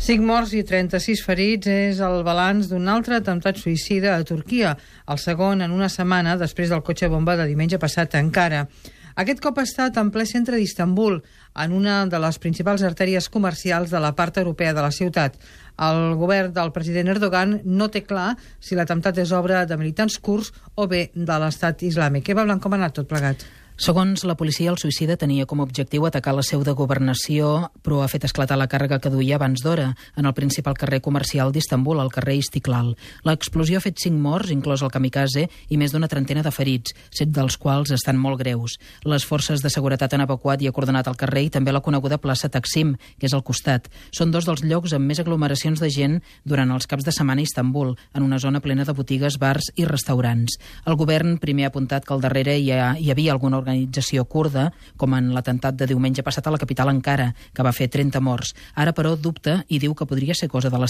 5 morts i 36 ferits és el balanç d'un altre atemptat suïcida a Turquia, el segon en una setmana després del cotxe bomba de diumenge passat a Ankara. Aquest cop ha estat en ple centre d'Istanbul, en una de les principals artèries comercials de la part europea de la ciutat. El govern del president Erdogan no té clar si l'atemptat és obra de militants kurds o bé de l'estat islàmic. Eva Blanc, com ha anat tot plegat? Segons la policia, el suïcida tenia com a objectiu atacar la seu de governació, però ha fet esclatar la càrrega que duia abans d'hora, en el principal carrer comercial d'Istanbul, al carrer Istiklal. L'explosió ha fet 5 morts, inclòs el kamikaze, i més d'una trentena de ferits, 7 dels quals estan molt greus. Les forces de seguretat han evacuat i acordonat el carrer i també la coneguda plaça Taksim, que és al costat. Són dos dels llocs amb més aglomeracions de gent durant els caps de setmana a Istanbul, en una zona plena de botigues, bars i restaurants. El govern primer ha apuntat que al darrere hi havia alguna organització kurda, com en l'atemptat de diumenge passat a la capital Ankara, que va fer 30 morts. Ara, però, dubta i diu que podria ser cosa de l'estat